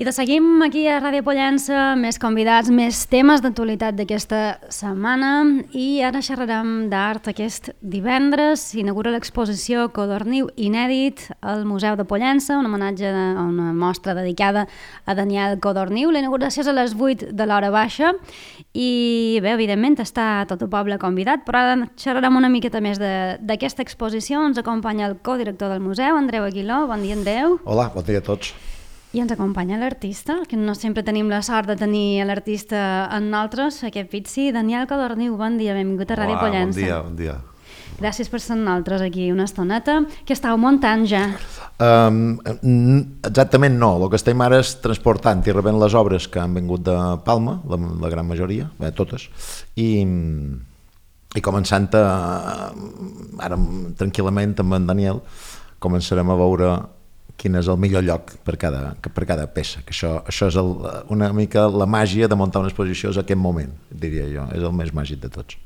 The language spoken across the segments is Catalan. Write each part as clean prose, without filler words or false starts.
I de seguim aquí a Ràdio Pollença, més convidats, més temes d'actualitat d'aquesta setmana i ara xerrarem d'art. Aquest divendres s'inaugura l'exposició Codorniu Inèdit al Museu de Pollença, un homenatge a una mostra dedicada a Daniel Codorniu. La inauguració és a les 8 de l'hora baixa i bé, evidentment està tot el poble convidat, però ara xerrarem una miqueta més d'aquesta exposició. Ens acompanya el codirector del museu, Andreu Aguiló. Bon dia, Andreu. Hola, bon dia a tots. I ens acompanya l'artista, que no sempre tenim la sort de tenir l'artista en nosaltres, aquest pizzi. Daniel Codorniu, bon dia, benvingut a Ràdio Pollença. Bon dia. Gràcies per ser amb nosaltres aquí una estoneta. Què estàu muntant ja? Exactament no, el que estem ara és transportant i rebent les obres que han vingut de Palma, la gran majoria, totes, i començant ara tranquil·lament amb en Daniel començarem a veure quin és el millor lloc per cada peça, que això és una mica la màgia de muntar una exposició és aquest moment, diria jo, és el més màgic de tots.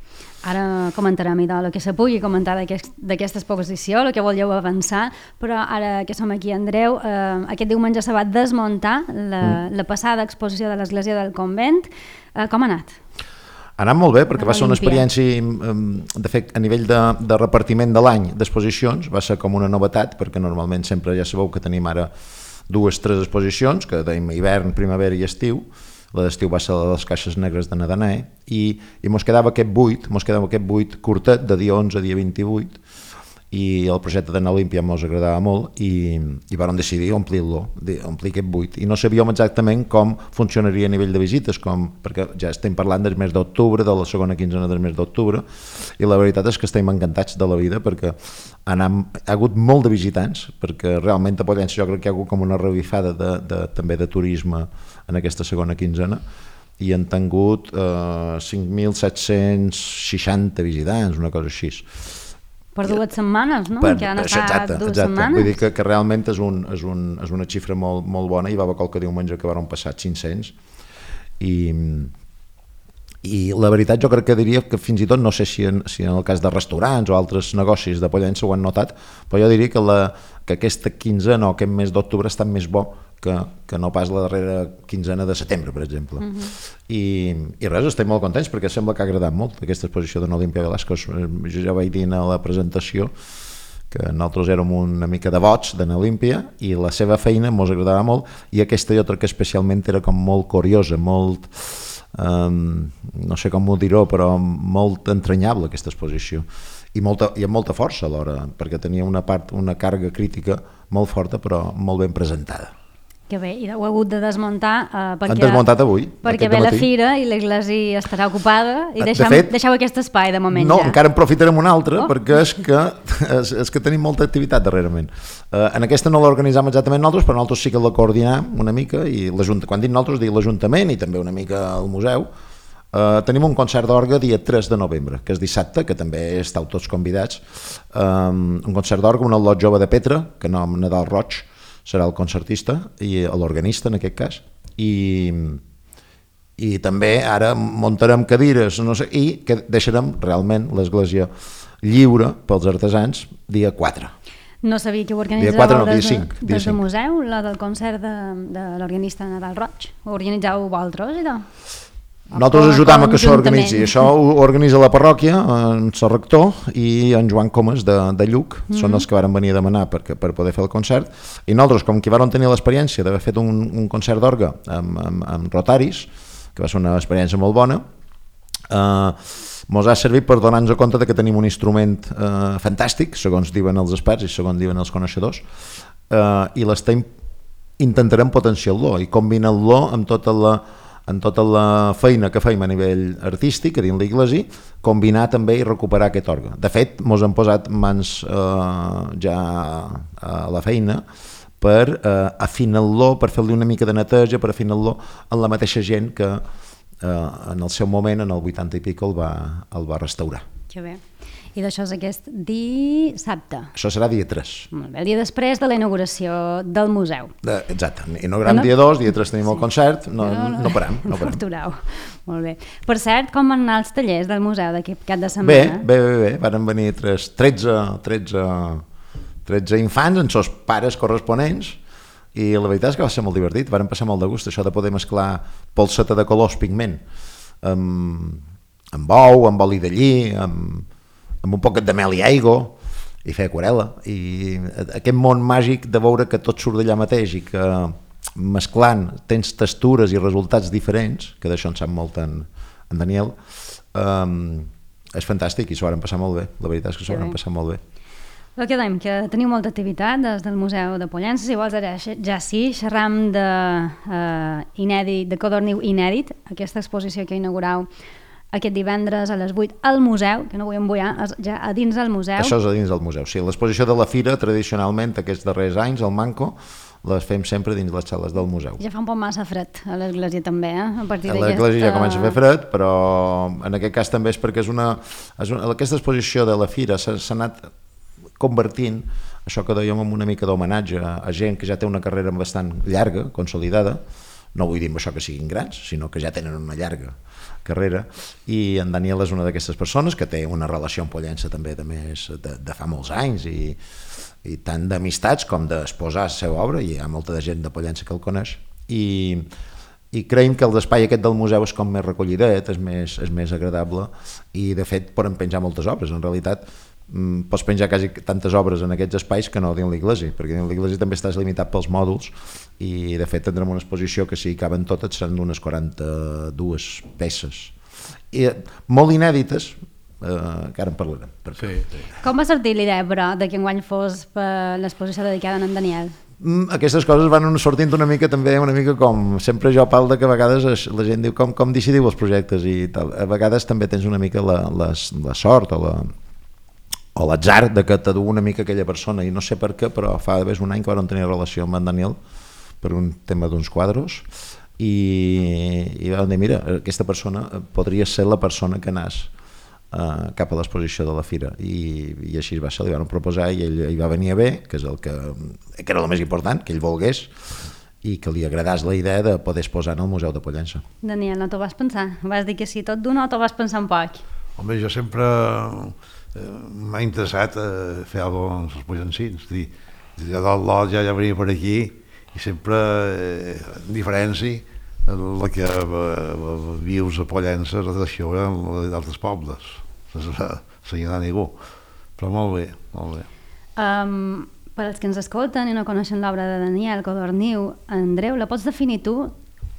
Ara comentarem el que se pugui comentar d'aquesta exposició, el que voleu avançar, però ara que som aquí, Andreu, aquest diumenge se va desmuntar la passada exposició de l'Església del Convent. Com ha anat? Ha anat molt bé, perquè va ser una experiència, de fet, a nivell de repartiment de l'any d'exposicions, va ser com una novetat, perquè normalment sempre ja sabeu que tenim ara 2-3 exposicions, que tenim hivern, primavera i estiu. La d'estiu va ser la de les caixes negres de Nadanae, i mos quedava aquest 8 curtet, de dia 11 a dia 28, i el projecte d'Anna Olímpia mos agradava molt i vam decidir omplir aquest 8, i no sabíem exactament com funcionaria a nivell de visites, perquè ja estem parlant del mes d'octubre, de la segona quinzena del mes d'octubre, i la veritat és que estem encantats de la vida perquè ha hagut molt de visitants, perquè realment a Pollença jo crec que hi ha hagut com una revifada també de turisme en aquesta segona quinzena, i han tingut 5.760 visitants, una cosa així. Per 2 setmanes, no? Que han estat 2 setmanes. Vull dir que realment és una xifra molt bona, i va haver qualque diumenge que van passar 500, i la veritat jo crec que diria que fins i tot, no sé si en el cas de restaurants o altres negocis de Pollença ho han notat, però jo diria que aquesta quinzena o aquest mes d'octubre ha estat més bo que no pas la darrera quinzena de setembre, per exemple. I res, estem molt contents perquè sembla que ha agradat molt aquesta exposició d'en Olímpia Velasco. Jo ja vaig dir a la presentació que nosaltres érem una mica devots d'en Olímpia i la seva feina ens agradava molt, i aquesta jo crec que especialment era com molt curiosa, molt, no sé com ho diré, però molt entranyable aquesta exposició, i amb molta força alhora, perquè tenia una càrrega crítica molt forta però molt ben presentada. Que bé, i ho he hagut de desmuntar Han desmuntat avui, perquè ve la fira i l'església estarà ocupada i deixeu aquest espai de moment. No, encara en profitarem un altre, perquè és que tenim molta activitat darrerament. En aquesta no l'organitzam exactament nosaltres, però nosaltres sí que la coordinem una mica, i quan dic nosaltres dic l'Ajuntament i també una mica el museu. Tenim un concert d'orgue dia 3 de novembre, que és dissabte, que també esteu tots convidats. Un concert d'orgue, un al·lot jove de Petra, que nom Nadal Roig, serà el concertista i l'organista en aquest cas, i també ara muntarem cadires, no sé, i que deixarem realment l'església lliure pels artesans dia 4. No sabia que ho organitzàveu des del museu, la del concert de l'organista Nadal Roig. Ho organitzàveu vosaltres i tal? Nosaltres ajudam a que s'organitzi. Això ho organitza la parròquia, en el rector i en Joan Comas de Lluc, són els que varen venir a demanar per poder fer el concert, i nosaltres, com que vàrem tenir l'experiència d'haver fet un concert d'orgue amb Rotaris, que va ser una experiència molt bona, ens ha servit per donar-nos compte que tenim un instrument fantàstic, segons diuen els experts i segons diuen els coneixedors, i intentarem potenciar-lo i combinar-lo amb tota la feina que feim a nivell artístic a dins l'església, combinar també i recuperar aquest orgue. De fet, ens hem posat mans ja a la feina per afinar-lo, per fer-li una mica de neteja, per afinar-lo en la mateixa gent que en el seu moment, en el 80 i pico, el va restaurar. Que bé. I d'això és aquest dissabte. Això serà dia 3. Molt bé, el dia després de la inauguració del museu. Exacte. Inaugurem dia 2, dia 3 tenim el concert, no parem. No atureu. Molt bé. Per cert, com van anar els tallers del museu d'aquest cap de setmana? Bé. Varen venir 13 infants amb els pares corresponents i la veritat és que va ser molt divertit, vàrem passar molt de gust, això de poder mesclar polseta de colors, pigment, amb ou, amb oli de lli, amb un poquet de mel i aigua, i fer aquarel·la, i aquest món màgic de veure que tot surt d'allà mateix i que mesclant tens textures i resultats diferents, que d'això en sap molt en Daniel, és fantàstic i s'ho van passar molt bé, la veritat és que s'ho van passar molt bé. El que dèiem, que teniu molta activitat des del Museu de Pollença, si vols ara ja sí, xerram de Codorniu Inèdit, aquesta exposició que inaugurau aquest divendres a les 8 al museu, que no vull embullar, ja a dins del museu. Això és a dins del museu, sí. L'exposició de la Fira, tradicionalment, aquests darrers anys, al Manco, les fem sempre dins les sales del museu. Ja fa un poc massa fred a l'església també, a partir d'aquesta... A l'església ja comença a fer fred, però en aquest cas també és perquè aquesta exposició de la Fira s'ha anat convertint, això que dèiem, en una mica d'homenatge a gent que ja té una carrera bastant llarga, consolidada, no vull dir amb això que siguin grans, sinó que ja tenen una llarga carrera, i en Daniel és una d'aquestes persones que té una relació amb Pollença també de fa molts anys, i tant d'amistats com d'exposar la seva obra, i hi ha molta de gent de Pollença que el coneix, i creiem que l'espai aquest del museu és com més recollidet, és més agradable, i de fet poden penjar moltes obres. En realitat pots penjar quasi tantes obres en aquests espais que no dins l'església, perquè dins l'església també estàs limitat pels mòduls, i de fet tindrem una exposició que si caben totes seran d'unes 42 peces, i molt inèdites, que ara en parlarem. Sí. Com va sortir l'idea, però, que enguany fos per l'exposició dedicada a en Daniel? Aquestes coses van sortint una mica com sempre jo parlo, que a vegades la gent diu com decidiu els projectes i tal. A vegades també tens una mica la sort o l'atzar de que t'adú una mica aquella persona, i no sé per què, però fa d'haver un any que vam tenir relació amb en Daniel per un tema d'uns quadros, i vam dir, mira, aquesta persona podria ser la persona que anàs cap a l'exposició de la Fira, i així va ser, li van proposar i ell hi va venir a bé, que és que era el més important, que ell volgués i que li agradàs la idea de poder exposar en el Museu de Pollença. Daniel, no t'ho vas pensar? Vas dir que sí tot d'una o t'ho vas pensar un poc? Home, jo sempre m'ha interessat fer alguna cosa amb els pollencins, jo del lot ja venia per aquí, i sempre en diferència la que vius a Pollença la tradició d'altres pobles, sense assenyalar ningú, però molt bé, molt bé. Per als que ens escolten i no coneixen l'obra de Daniel Codorniu, Andreu, la pots definir tu?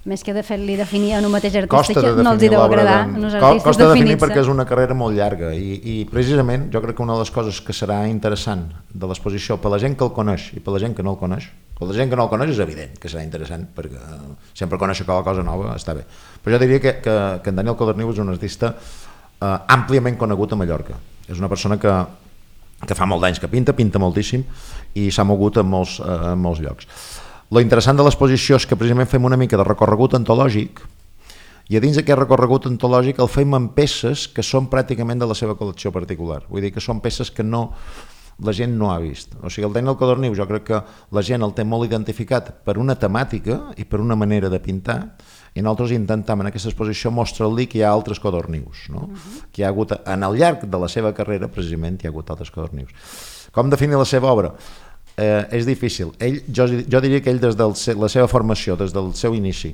Més que de fer-li definir en un mateix artista, que no els hi deu agradar als artistes costa definir perquè és una carrera molt llarga, i precisament jo crec que una de les coses que serà interessant de l'exposició per la gent que el coneix i per la gent que no el coneix, per la gent que no el coneix és evident que serà interessant, perquè sempre conèixer qualque cosa nova està bé, però jo diria que en Daniel Codorniu és un artista àmpliament conegut a Mallorca, és una persona que fa molt d'anys que pinta moltíssim, i s'ha mogut en molts llocs. Lo interessant de l'exposició és que precisament fem una mica de recorregut antològic, i a dins d'aquest recorregut antològic el fem amb peces que són pràcticament de la seva col·lecció particular, vull dir que són peces que la gent no ha vist. O sigui, el Daniel Codorniu jo crec que la gent el té molt identificat per una temàtica i per una manera de pintar, i nosaltres intentem en aquesta exposició mostrar-li que hi ha altres Codornius, no? Que hi ha hagut, al llarg de la seva carrera precisament hi ha hagut altres Codornius. Com definir la seva obra? És difícil. Jo diria que ell des de la seva formació, des del seu inici,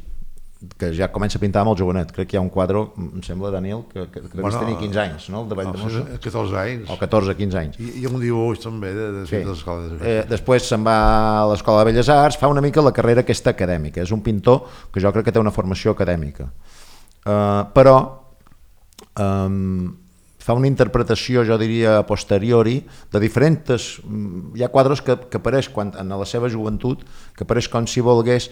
que ja comença a pintar molt jovenet, crec que hi ha un quadre, em sembla, Daniel, que devies tenir 15 anys, no? El de Valldemossa. 14 anys. O 14, 15 anys. I un dibuix també de l'escola de Belles Arts. Després se'n va a l'Escola de Belles Arts, fa una mica la carrera aquesta acadèmica, és un pintor que jo crec que té una formació acadèmica, però fa una interpretació, jo diria, a posteriori, de diferents... Hi ha quadres que apareix en la seva joventut, que apareix com si volgués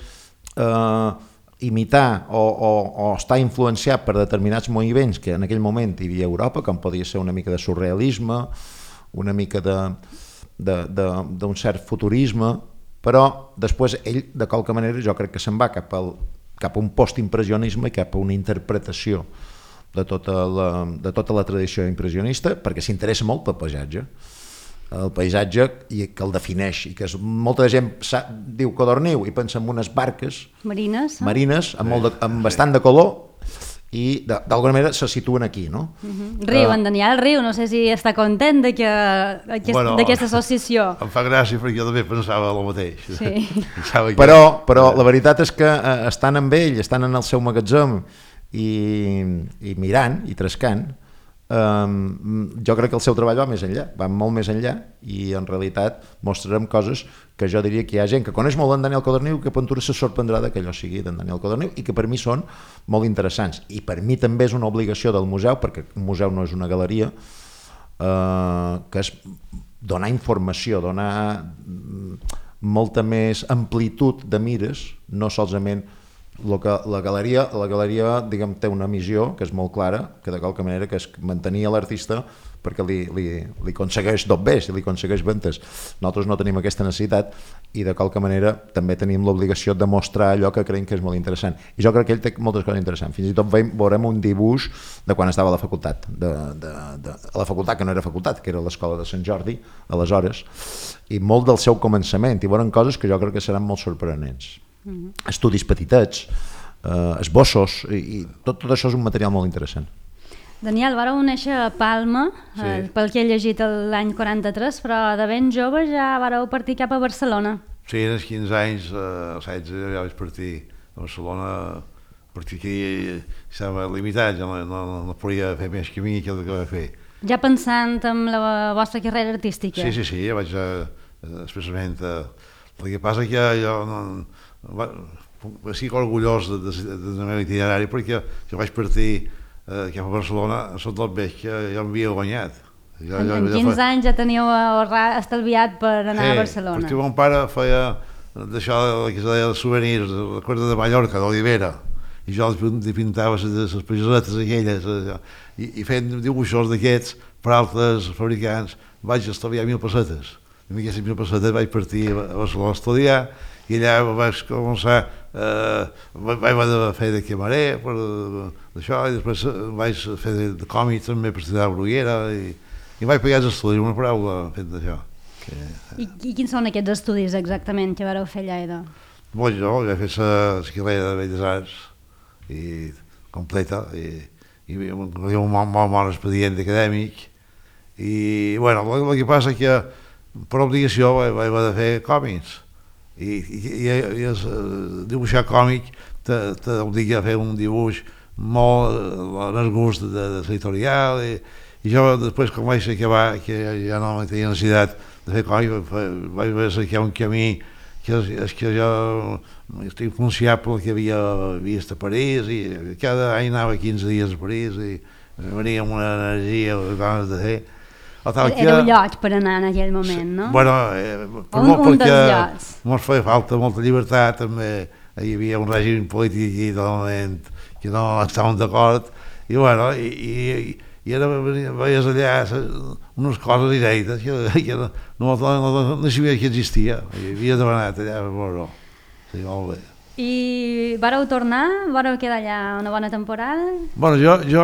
imitar o estar influenciat per determinats moviments que en aquell moment hi havia a Europa, com podia ser una mica de surrealisme, una mica d'un cert futurisme, però després ell, de qualque manera, jo crec que se'n va cap a un postimpressionisme i cap a una interpretació de tota la tradició impressionista, perquè s'interessa molt pel paisatge, el paisatge que el defineix, i que molta gent diu Codorniu i pensa en unes barques marines amb bastant de color, i d'alguna manera se situen aquí, no? Riu, en Daniel riu, no sé si està content d'aquesta associació. Em fa gràcia perquè jo també pensava el mateix. Sí. Però la veritat és que estan amb ell, estan en el seu magatzem i mirant i trescant, jo crec que el seu treball va més enllà, va molt més enllà, i en realitat mostrarem coses que jo diria que hi ha gent que coneix molt en Daniel Codorniu, que Ventura se sorprendrà que allò sigui d'en Daniel Codorniu, i que per mi són molt interessants. I per mi també és una obligació del museu, perquè un museu no és una galeria, que és donar informació, donar molta més amplitud de mires, no solament la galeria diguem, té una missió que és molt clara, que de qualque manera que és mantenir l'artista perquè li aconsegueix tot bé, si li aconsegueix ventes. Nosaltres no tenim aquesta necessitat i de qualque manera també tenim l'obligació de mostrar allò que creiem que és molt interessant. I jo crec que ell té moltes coses interessants. Fins i tot veurem un dibuix de quan estava a la facultat, a la facultat que no era facultat, que era l'escola de Sant Jordi, aleshores, i molt del seu començament, i veurem coses que jo crec que seran molt sorprenents. Estudis petitets, esbossos, i tot això és un material molt interessant. Daniel, vareu néixer a Palma, pel que he llegit l'any 43, però de ben jove ja vareu partir cap a Barcelona. Sí, als 15 anys, als 16 ja vaig partir a Barcelona, perquè aquí estava limitat, ja no podia fer més camí que el que vaig fer. Ja pensant en la vostra carrera artística? Sí, ja vaig expressament. El que passa que jo estic orgullós del meu itinerari perquè jo vaig partir cap a Barcelona sota el veig que jo m'havia guanyat. En 15 anys ja teníeu estalviat per anar a Barcelona. Perquè mon pare feia d'això que es deia souvenirs, la Corda de Mallorca, d'Olivera, i jo li pintava les pagesetes aquelles, i fent dibuixos d'aquests per altres fabricants vaig estalviar 1.000 pessetes. I amb aquestes 1.000 pessetes vaig partir a Barcelona a estudiar, i allà vaig començar, vaig haver de fer de camarer per això, i després vaig fer de còmic també per estudiar a Bruguera, i vaig pagar els estudis, una paraula fet d'això. I quins són aquests estudis exactament que vareu fer allà? Bon, jo vaig fer la carrera de Belles Arts completa, i un molt bon expedient acadèmic, i bueno, el que passa que per obligació vaig haver de fer còmics, i dibuixar còmic t'obliga a fer un dibuix molt en el gust de l'editorial, i jo després quan vaig acabar que ja no tenia necessitat de fer còmic vaig cercar un camí que és que jo estic influenciable que havia vist a París, i cada any anava 15 dies a París i venia amb una energia, ganes de fer. Era un lloc per anar en aquell moment, no? Bueno, un dels llocs. Ens feia falta molta llibertat, també hi havia un règim polític aquí totalment que no estàvem d'acord, i bueno, i ara veies allà unes coses inèdites que no sabia que existia, i havia demanat allà, bueno, sí, molt bé. I vareu tornar? Vareu quedar allà una bona temporada? Bueno, jo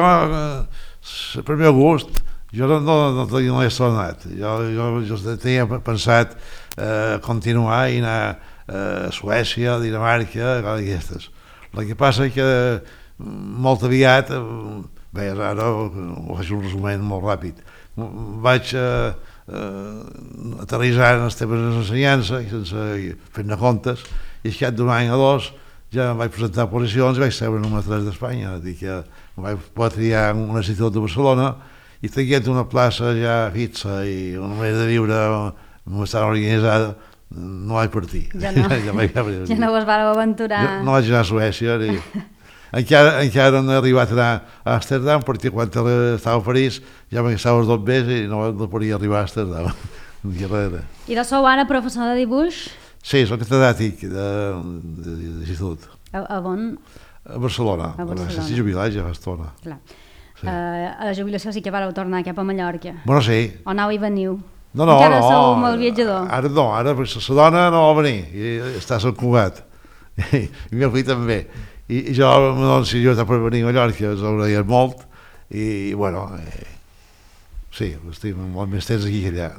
per meu gust, jo no he tornat. Jo tenia pensat continuar i anar a Suècia, a Dinamarca, coses d'aquestes. El que passa és que molt aviat, bé, ara ho faig un resum molt ràpid, vaig aterrissar en els temes d'ensenyança, sense fer-ne comptes, i al cap d'un any o dos ja em vaig presentar a posicions i vaig ser el número 3 d'Espanya, dir que em vaig poder triar en un institut de Barcelona, i tenint una plaça ja fixa i una manera de viure bastant organitzada, no vaig partir. Ja no us vareu aventurar. No vaig anar a Suècia, encara no he arribat a anar a Amsterdam, perquè quan estava a París ja m'estava els 2 mesos i no podia arribar a Amsterdam. I sou ara professor de dibuix? Sí, soc catedràtic d'institut. A on? A Barcelona. Estic jubilat ja fa estona. Clar. Sí. A la jubilació sí que vareu tornar cap a Mallorca. Bueno, sí. O anau i veniu? No. Encara sou molt viatjador? Ara no, ara la dona no va venir, i està a Sant Cugat. I el meu fill també. I jo, si jo estava per venir a Mallorca, us agraïa molt, i bueno, sí, estic molt més temps aquí que allà.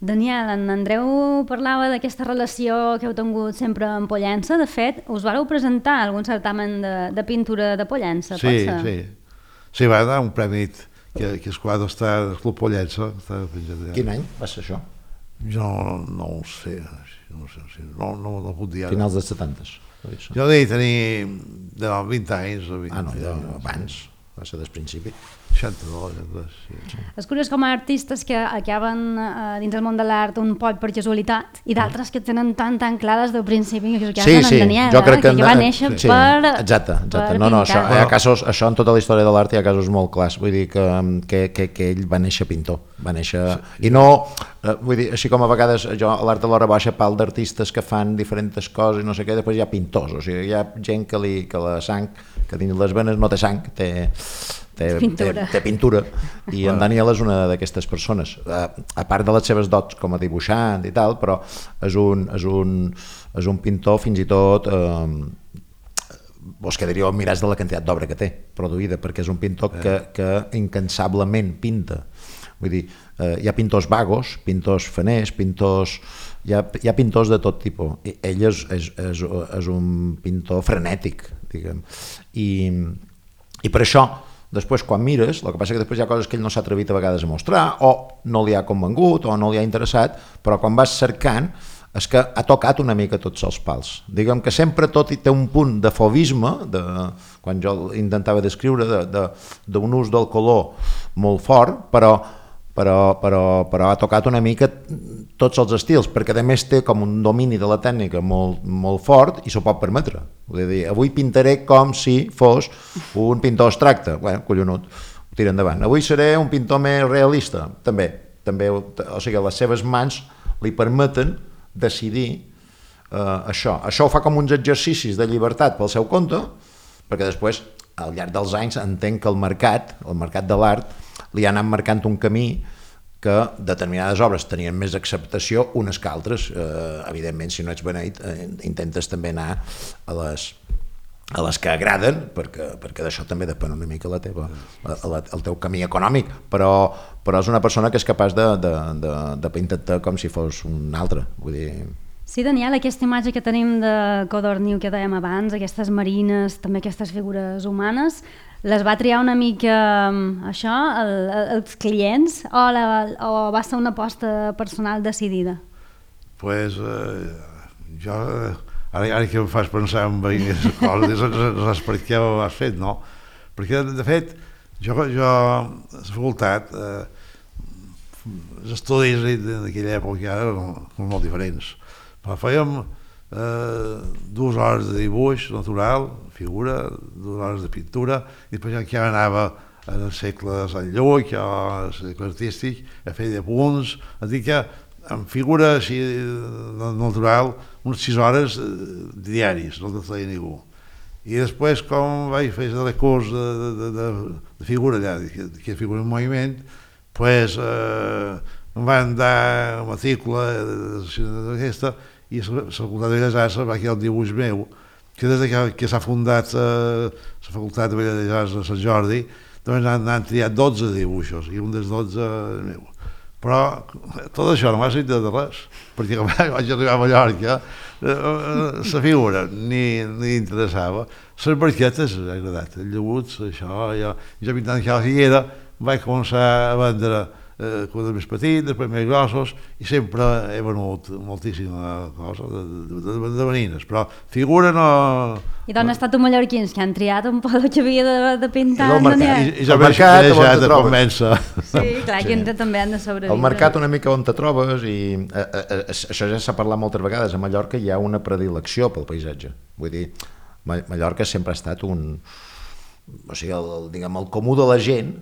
Daniel, en Andreu parlava d'aquesta relació que heu tingut sempre amb Pollença. De fet, us vareu presentar a algun certamen de pintura de Pollença, pot ser? Sí. Sí, va anar un premi que el quadre està al Club Pollença. Quin any va ser això? Jo no ho sé, no puc dir ara. Finals dels 70. Jo devia tenir 20 anys. No, abans, va ser des principi. 62, sí. És curiós com a artistes que acaben dins el món de l'art un poc per casualitat i d'altres que tenen tan clar des del principi que en Daniel, jo crec que va néixer per exacte. No, això en tota la història de l'art hi ha casos molt clars, vull dir que ell va néixer pintor, va néixer i no, vull dir, així com a vegades jo a l'Art de l'Hora Baixa parlo d'artistes que fan diferents coses i no sé què, després hi ha pintors, o sigui, hi ha gent que la sang, que dins les venes no té sang, té pintura i en Daniel és una d'aquestes persones, a part de les seves dots com a dibuixant i tal, però és un pintor fins i tot vos quedaríeu admirats de la quantitat d'obra que té produïda, perquè és un pintor que incansablement pinta. Vull dir, hi ha pintors vagos, pintors faners, hi ha pintors de tot tipus. Ell és un pintor frenètic, diguem, i per això després quan mires, el que passa que després hi ha coses que ell no s'ha atrevit a vegades a mostrar o no li ha convengut o no li ha interessat, però quan vas cercant és que ha tocat una mica tots els pals. Diguem que sempre tot té un punt de fauvisme, quan jo intentava descriure, d'un ús del color molt fort, però ha tocat una mica tots els estils, perquè a més té com un domini de la tècnica molt fort i s'ho pot permetre. Vull dir, avui pintaré com si fos un pintor abstracte. Bueno, collonut, ho tira endavant. Avui seré un pintor més realista, també, o sigui, les seves mans li permeten decidir això. Això ho fa com uns exercicis de llibertat pel seu compte, perquè després, al llarg dels anys, entenc que el mercat de l'art, li ha anat marcant un camí que determinades obres tenien més acceptació unes que altres. Evidentment, si no ets beneït, intentes també anar a les que agraden, perquè d'això també depèn una mica el teu camí econòmic, però és una persona que és capaç de pintar-te com si fos un altre. Vull dir... Sí, Daniel, aquesta imatge que tenim de Codorniu que dèiem abans, aquestes marines, també aquestes figures humanes, les va triar una mica això, els clients, o va ser una aposta personal decidida? Pues jo, ara que em fas pensar en aquestes coses, no saps per què ho has fet, no? Perquè, de fet, jo a la facultat, els estudis d'aquella època eren molt diferents. Però fèiem 2 hores de dibuix natural, figura, 2 hores de pintura, i després ja anava en el segle de Sant Lluc, al segle artístic, a fer de punts, a dir que en figura així natural, unes 6 hores diaris, no te feia ningú. I després, com vaig fer el curs de figura allà, que figura en moviment, doncs em van dar matrícula d'aquesta i la Facultat de Belles Arts va quedar el dibuix meu, que des que s'ha fundat la Facultat de Belles Arts de Sant Jordi, doncs han triat 12 dibuixos i un dels 12 és meu. Però tot això no m'ha servit de res, perquè quan vaig arribar a Mallorca la figura ni interessava. Les barquetes m'ha agradat, el llabuts, això, jo pintant que a la Figuera vaig començar a vendre quadres més petits, després més grossos, i sempre he venut moltíssima cosa de marines, però figura no... I d'on han estat els mallorquins que han triat un poc que havia de pintar? I jo m'he deixat de convèncer. Sí, clar, que també han de sobreviure. El mercat una mica on te trobes, i això ja s'ha parlat moltes vegades, a Mallorca hi ha una predilecció pel paisatge. Vull dir, Mallorca sempre ha estat o sigui, el comú de la gent,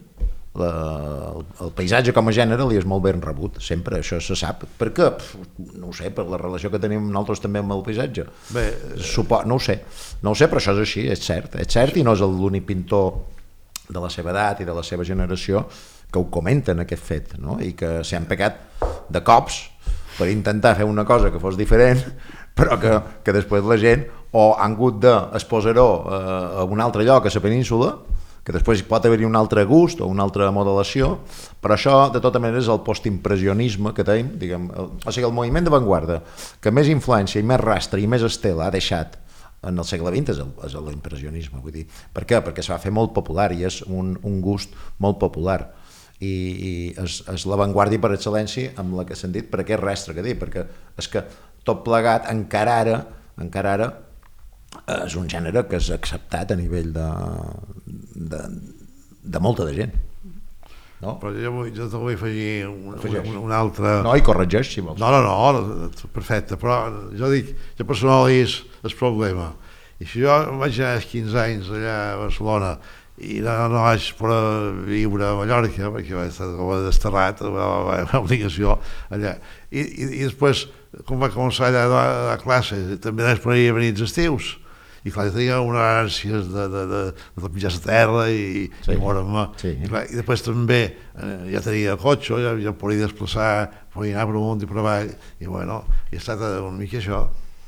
el paisatge com a gènere li és molt ben rebut, sempre, això se sap. Per què? No ho sé, per la relació que tenim nosaltres també amb el paisatge. No ho sé, però això és així, és cert, i no és l'únic pintor de la seva edat i de la seva generació que ho comenten, aquest fet, no? I que s'han pecat de cops per intentar fer una cosa que fos diferent, però que després la gent o han hagut d'exposar-ho a un altre lloc, a la península, que després pot haver-hi un altre gust o una altra modelació, però això de tota manera és el postimpressionisme que tenim, diguem, o sigui, el moviment d'avantguarda que més influència i més rastre i més estela ha deixat en el segle XX és l'impressionisme, vull dir. Per què? Perquè es va fer molt popular i és un gust molt popular i és l'avantguàrdia per excel·lència amb la que s'han dit per aquest rastre que dic, perquè és que tot plegat encara ara és un gènere que és acceptat a nivell de molta de gent. No? Però jo te vull afegir un altre... No, i corregeix, si vols. No, perfecte, però jo dic, jo personalitzo el problema. I si jo vaig anar 15 anys allà a Barcelona i no vaig poder viure a Mallorca, perquè vaig estar desterrat, una obligació allà. I després, quan va començar allà a classe, també després venir els estius, i clar, jo tenia una ànsia de pitjar la terra i moure'm. I després també ja tenia el cotxe, ja podia desplaçar, podia anar per amunt i per avall, i bueno, he estat una mica això,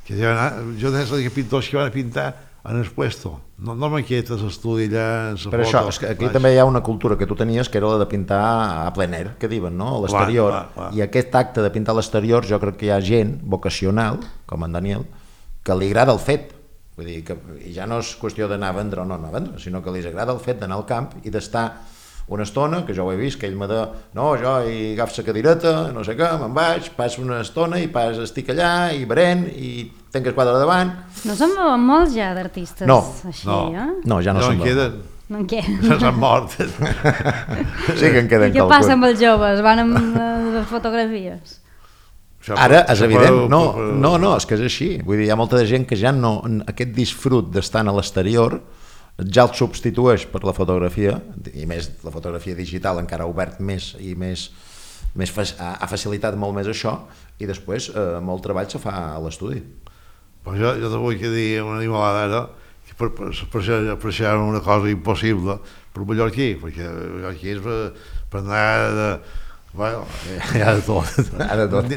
que jo des que pintors que van a pintar en el puesto, no maquetes, estudi allà... Per això, és que aquí també hi ha una cultura que tu tenies que era la de pintar a ple air, que diuen, no? A l'exterior, i aquest acte de pintar a l'exterior jo crec que hi ha gent vocacional, com en Daniel, que li agrada el fet. Vull dir que ja no és qüestió d'anar a vendre o no anar a vendre, sinó que li agrada el fet d'anar al camp i d'estar una estona, que jo ho he vist, que ell m'ha de... No, jo hi agafo la cadireta, no sé què, me'n vaig, passo una estona i estic allà, i beren, i tenc el quadre davant... No se'n veuen molts ja d'artistes així, eh? No, ja no se'n veuen. No en queden. S'han mort. Sí que en queden I què passa amb els joves? Van amb les fotografies? Ara és evident, no, és que és així, vull dir, hi ha molta de gent que ja no, aquest disfrut d'estar a l'exterior ja el substitueix per la fotografia, i més la fotografia digital encara ha obert més i ha facilitat molt més això, i després molt treball se fa a l'estudi. Però jo te vull dir una animalada ara, que per això una cosa impossible per mallorquí, perquè mallorquí és per anar... Bueno, hi ha de tot.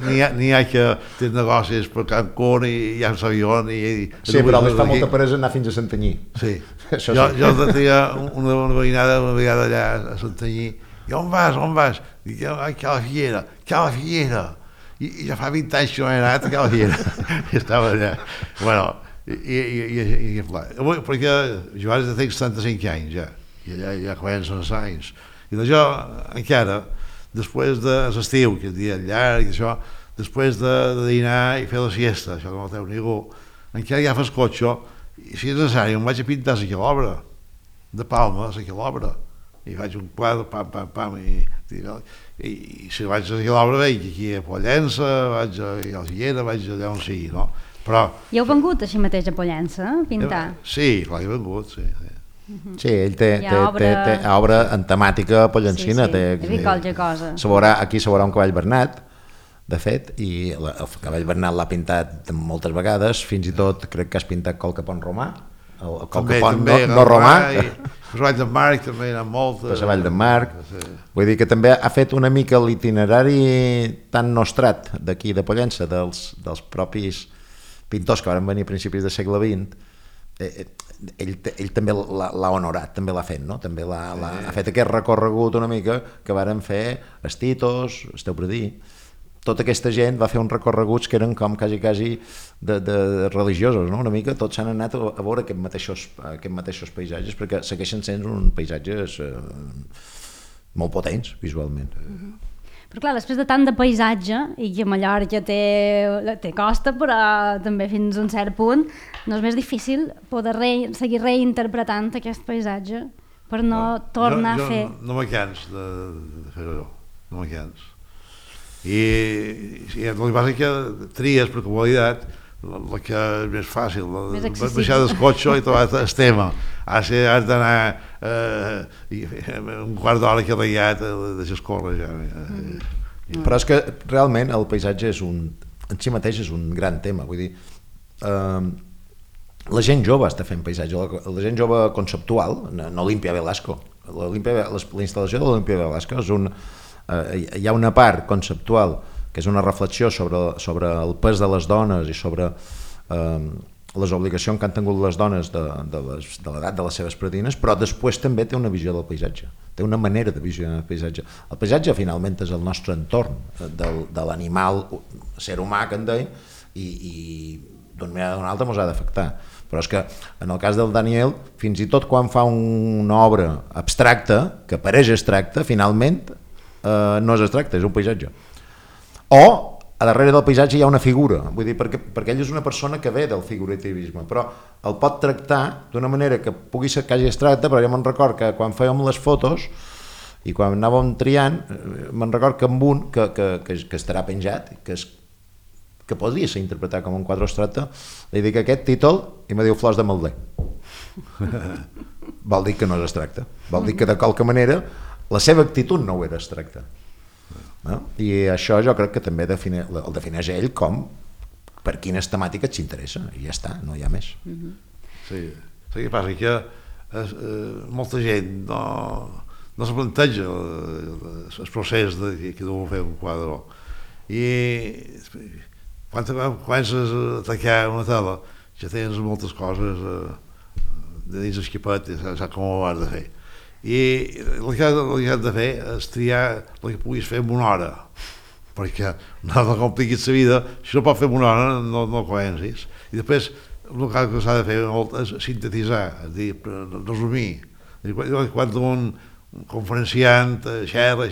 N'hi ha que té negocis per Cancún i hi ha l'avió... Sí, però més fa molta peresa anar fins a Santanyí. Sí. Jo tenia una veïnada allà a Santanyí. I on vas? Dic, a la Figuera. I ja fa 20 anys que no he anat a la Figuera. I estava allà. Bueno, perquè jo ara tinc 75 anys ja, i allà ja comencen els anys. I d'això encara... Després de l'estiu, que és dia llarg, això, després de dinar i fer la siesta, això que no teu ningú, encara agafes cotxe i si és necessari em vaig a pintar la quilobra, de Palma, la quilobra, i faig un quadre, pam, i si vaig a la quilobra veig aquí a Pollença, vaig a la Figuera, vaig allà on sigui, no? Però... I heu vengut així mateix a Pollença, a pintar? Sí, clar, he vengut, sí. Sí, ell té obra en temàtica pollencina. He vist qualque cosa. Aquí se veurà un cavall bernat, de fet, i el cavall bernat l'ha pintat moltes vegades, fins i tot crec que has pintat qualque pont romà, el qualque pont no romà. Per la Vall d'en Marc també hi ha moltes. Per la Vall d'en Marc. Vull dir que també ha fet una mica l'itinerari tan nostrat d'aquí de Pollença, dels propis pintors que van venir a principis del segle XX. Ell també l'ha honorat, també l'ha fet, no? També ha fet aquest recorregut una mica que varen fer els Titos, Esteu-Predí. Tota aquesta gent va fer uns recorreguts que eren com quasi de religiosos, no? Una mica tots s'han anat a veure aquests mateixos paisatges perquè segueixen sent uns paisatges molt potents visualment. Però clar, després de tant de paisatge, i que Mallorca té costa, però també fins a un cert punt, no és més difícil poder seguir reinterpretant aquest paisatge per no tornar a fer... No me cans de fer-ho, no me cans. I el que passa és que tries per comoditat la que és més fàcil, baixar del cotxe i trobar el tema. Has d'anar un quart d'hora que reiat de escórrer ja. Però és que realment el paisatge en si mateix és un gran tema, vull dir, la gent jove està fent paisatge, la gent jove conceptual, n'Olimpia Velasco, la instal·lació de l'Olimpia Velasco hi ha una part conceptual que és una reflexió sobre el pes de les dones i sobre les obligacions que han tingut les dones de l'edat de les seves predines, però després també té una visió del paisatge, té una manera de visionar el paisatge. El paisatge finalment és el nostre entorn, de l'animal, ser humà que en deim, i d'una manera o d'una altra ens ha d'afectar. Però és que en el cas del Daniel, fins i tot quan fa una obra abstracta, que pareix abstracta, finalment no és abstracte, és un paisatge. O a darrere del paisatge hi ha una figura, vull dir, perquè ell és una persona que ve del figurativisme, però el pot tractar d'una manera que pugui ser quasi abstracta, però jo me'n record que quan fèiem les fotos i quan anàvem triant, me'n record que amb un que estarà penjat, que podria ser interpretat com un quadre abstracte, li dic aquest títol i me diu Flors de Malder. Vol dir que no és abstracte, vol dir que de qualque manera la seva actitud no ho era abstracte. No? I això jo crec que també el defineix ell com per quines temàtiques s'interessa, i ja està, no hi ha més. Sí, el que passa que molta gent no se planteja el procés que deu fer un quadre, i quan comences a atacar una tela ja tens moltes coses de dins l'esquipet i saps com ho has de fer. I el que has de fer és triar el que puguis fer en una hora, perquè no compliquis la vida, si no pots fer en una hora no comencis. I després el que s'ha de fer és sintetitzar, és dir, resumir. Quan un conferenciant xerra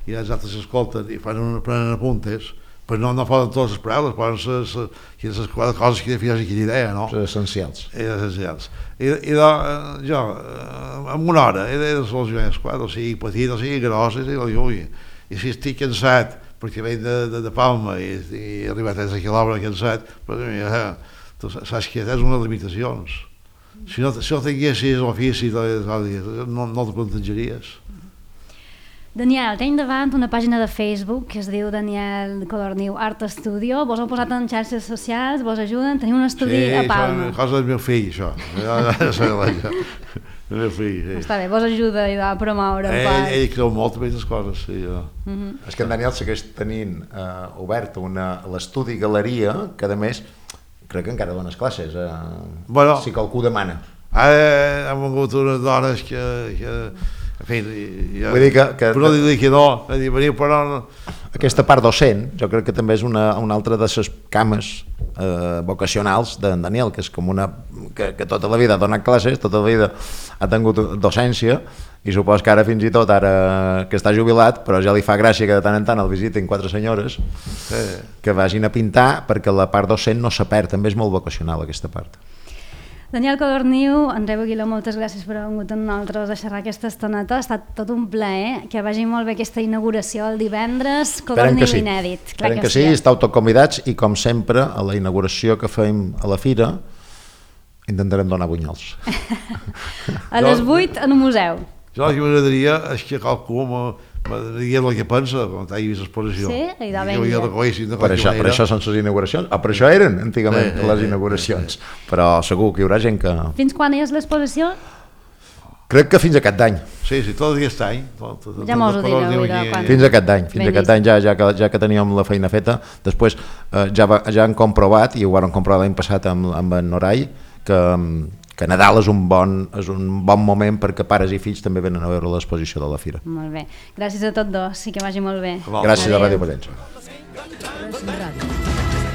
i els altres escolten i prenen apuntes, però no poden totes les paraules, poden ser les coses que definen aquella idea, no? Les essencials. Essencials. I jo, en una hora, he de solucionar els quadres, o sigui petit, o sigui gros, i si estic cansat, perquè veig de Palma i he arribat a 13 quilòmetres cansat, però tu saps que tens unes limitacions. Si no tinguessis l'ofici, no te plantejaries. Daniel, tenim davant una pàgina de Facebook que es diu Daniel Codorniu Art Studio. Vos heu posat en xarxes socials, vos ajuden, teniu un estudi a Palma. Sí, cosa del meu fill, això. El meu fill, sí. Està bé, vos ajuda a promoure un pas. Ell creu molt en aquestes coses, sí. És que en Daniel segueix tenint obert l'estudi galeria, que a més crec que encara dones classes, si qualcú demana. Ara hem vingut unes dones que en fi, vull dir que però dir que no, veniu però no. Aquesta part docent, jo crec que també és una altra de les cames vocacionals d'en Daniel, que és com que tota la vida ha donat classes, tota la vida ha tingut docència, i supos que ara fins i tot, ara que està jubilat, però ja li fa gràcia que de tant en tant el visitin 4 senyores que vagin a pintar, perquè la part docent no se perd, també és molt vocacional aquesta part. Daniel Codorniu, Andreu Aguiló, moltes gràcies per haver vingut amb nosaltres a xerrar aquesta estoneta. Ha estat tot un plaer, que vagi molt bé aquesta inauguració el divendres, Codorniu inèdit. Esperem que sí, estàu tots convidats, i com sempre a la inauguració que fem a la fira intentarem donar bunyols. A les 8 en un museu. Jo el que m'agradaria és que qualcú m'agradaria el que pensa quan hagi vist l'exposició. Sí? Per això són les inauguracions, per això eren antigament les inauguracions, però segur que hi haurà gent que... Fins quan és l'exposició? Crec que fins a aquest any. Sí, tot aquest any. Ja mos ho direu. Fins a aquest any, ja que teníem la feina feta. Després ja han comprovat, i ho van comprovar l'any passat amb en Norai, que Nadal és un bon moment perquè pares i fills també venen a veure l'exposició de la fira. Molt bé. Gràcies a tots dos, i que vagi molt bé. Gràcies a Ràdio Pollença.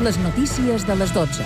Les notícies de les 12.